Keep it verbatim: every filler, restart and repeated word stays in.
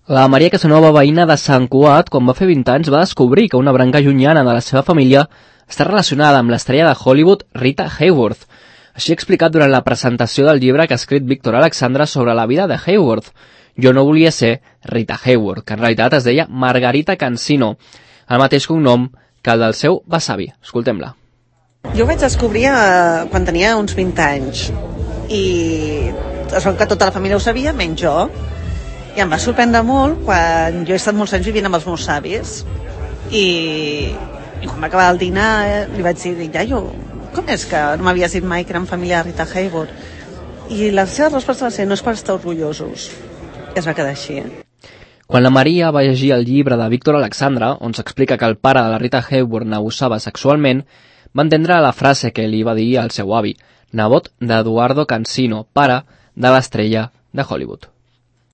La Maria Casanova, veïna de Sant Cugat, quan va fer vint anys, va descobrir que una branca llunyana de la seva família està relacionada amb l'estrella de Hollywood Rita Hayworth. Així ha explicat durant la presentació del llibre que ha escrit Víctor Alexandra sobre la vida de Hayworth. Jo no volia ser Rita Hayworth, que en realitat es deia Margarita Cansino, el mateix cognom que el del seu besavi. Escoltem-la. Jo ho vaig descobrir eh, quan tenia uns vint anys i es veu que tota la família ho sabia, menys jo, i em va sorprendre molt quan jo he estat molts anys vivint amb els meus avis i, i quan va acabar el dinar eh, li vaig dir, iaio, com és que no m'havies dit mai que érem família de Rita Hayworth? I la seva resposta va ser, no és per estar orgullosos. I es va quedar així. Quan la Maria va llegir el llibre de Víctor Alexandra, on s'explica que el pare de la Rita Hayworth n'abusava sexualment, va entendre la frase que li va dir al seu avi, nebot d'Eduardo Cansino, pare de l'estrella de Hollywood.